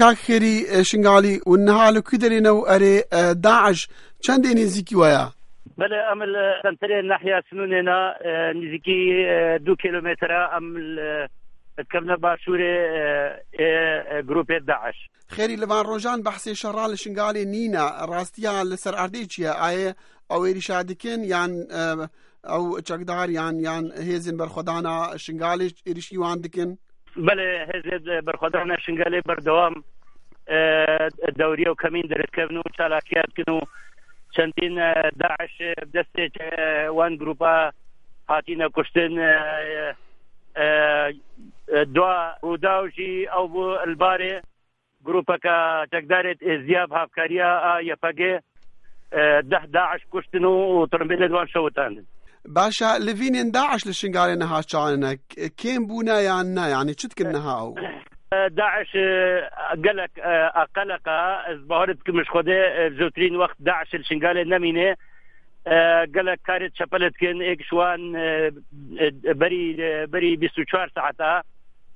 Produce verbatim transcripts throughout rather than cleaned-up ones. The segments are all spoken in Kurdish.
Kak Xêrî, e, Şingalî û niha li ku derê ne û erê, e, DAIŞ çendê nêzîkî we ye? Belê, em li senterê Nahya Sinûnê ne, e, nêzîkî, e, du kîlometre em li, dikevine başûrê, e, ê, e, grûpê DAIŞ. Xêrî, li van rojan behsê şera li Şingalê nîne. Rastiya li ser erdê çi ye? Ayê ew êrîşa dikin yan, e, ew çekdar yan, yan hêzên berxwedana Şingalê êrîşî wan dikin? Belê, hêzên berxwedana Şingalê berdewam, e, dewriye û kemîn derdikevin û çalakiya dikin û çendîn, e, DAIŞ, e, bi destê, e, wan grûpa hatine kuştin, e, e, e, dua Rûdaw jî ew bû li barê grûpeke çekdarê êzdiya bi hevkariya a YPG, e, deh DAIŞ kuştin û, û tirimbêlê di wan şewitandin. Baş e, livînên DAIŞ li Şingalê niha çawa ne? K-, kêm bûne yan ne? Yanî çi dikin niha ew? E, DAIŞ, e, gelek, e, a qelek e, ez bawer dikim ji Xwedê, e, zûtirîn wext DAIŞ li Şingalê nemîne. E, gelek karê çepele dikin, êk ji wan, e, e, berî, e, berî bîst û çar saeta,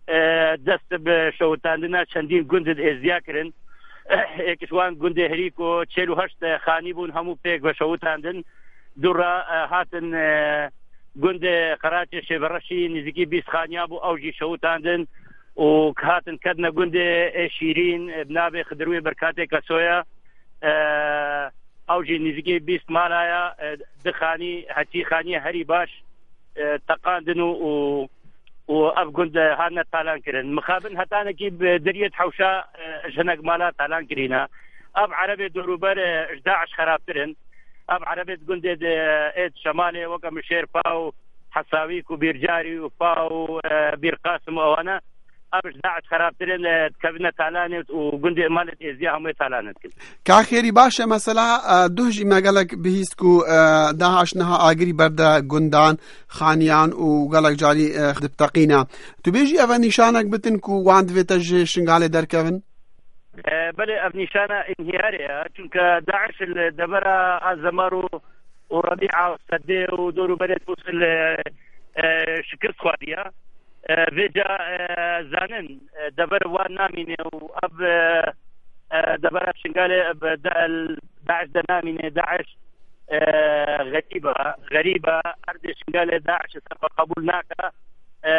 e, dest bi şewitandina çendîn gundin êzdiya kirin. Êk ji wan gundê Herîko, çêl û heşt xanî bûn, hemû pêk ve şewitandin. Dû re, e, hatin, e, gundê Qeraçê Şêvereşî, nêzîkî bîst xaniya bû, ew jî şewitandin û hatin ketine gundê ê Şîrîn, e, bi navê Xidirwê Berkatê Kesoya. E, ew jî nêzîkî bîst mala ye, e, di xanî, heçî xaniyê herî baş, e, teqandin û, û, û ev gund, e, hatine talan kirin. Mixabin hetanekî bi deriyê di hewşa, e, ji hinek mala talan kirîne. Ev erebê dorûber, e, ji DAIŞ xerabtir in. Ev erebê di gundê de, ê di şemalê weke Mişêrpa û Hesawîk û Bîrcarî û Pa û, e, Bîr Qasim û ewane, ev ji DAIŞ xerabtir in, e, dikevine talanê û gundê malê êzdiya hemûyê talan dikin. Ka xêrî baş e, mesela, e, duh jî me gelek bihîst ku, e, DAIŞ niha agirî berde gundan, xaniyan û gelek carî, e, dibiteqîne. Tu bêjî ev e nîşanek bitin ku wan divê te ji Şingalê derkevin? E, belê, ev nîşana înhiyarê ye. Çunke DAIŞ li devera Azemar û, û Rebîa û Sedê û dor û berê Mûsil, e, e, şikist xwariye. E, vêca, e, zanin, e, dever wan namîne û ev, e, e, devera Şingalê bi da-, DAIŞ de namîne. DAIŞ, e, xerîb e, xerîb e. Erdê Şingalê DAIŞ ser xwe qebûl nake. E,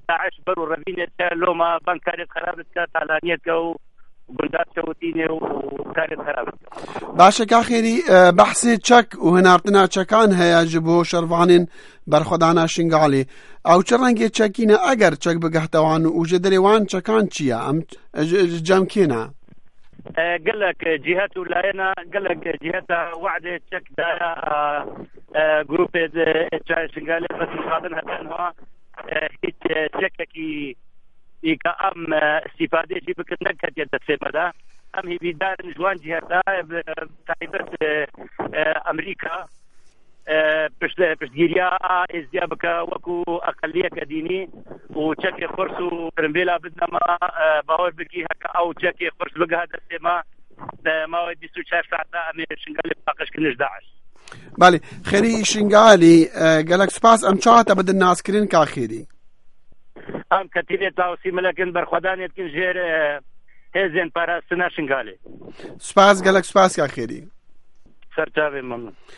DAIŞ ber û revînê dike, loma van karê xerab dike, talaniyê dike û gundan şewitînê û karê xerab dike. Baş e, ka xêrî, e, behsê çek û hinartina çekan heye ji bo şervanên berxwedana Şingalê. Ew çi rengê çekî ne, eger çek bigehte wan û ji derê wan çekan çi ye? Em ji, ji cem kê ne? E, gelek cîhet û layena, gelek cîheta we'dê çek daya, e, e, grûpê de, e, Çayê Şingalê, bes mixabin heta niha, e, hîç, e, çekekî î ka em, e, îstîfadê jî bikin neketiye destê me de. Em hêvîdar in ji wan cîheta, e, bi taybet, e, e, Amerîka, e, pişt-, piştgiriya a êzdiya bike wekû eqeliyeke dînî û çekê xurs û pirimbêla bidine me, e, bawer bikî heke ew çekê xurs bigihe destê me, di mawê bîst û çar saeta em ê Şingalê paqij kirin ji DAIŞ. Belê, Xêrî Şingalî, e, gelek spas. Em çawa te bidin naskirin, ka Xêrî? Em ketîlê Tawsî Milek in, berxwedanê dikin jêr, e, hêzên parastina Şingalê. Spas, gelek spas, ka Xêrî. Ser çavê me.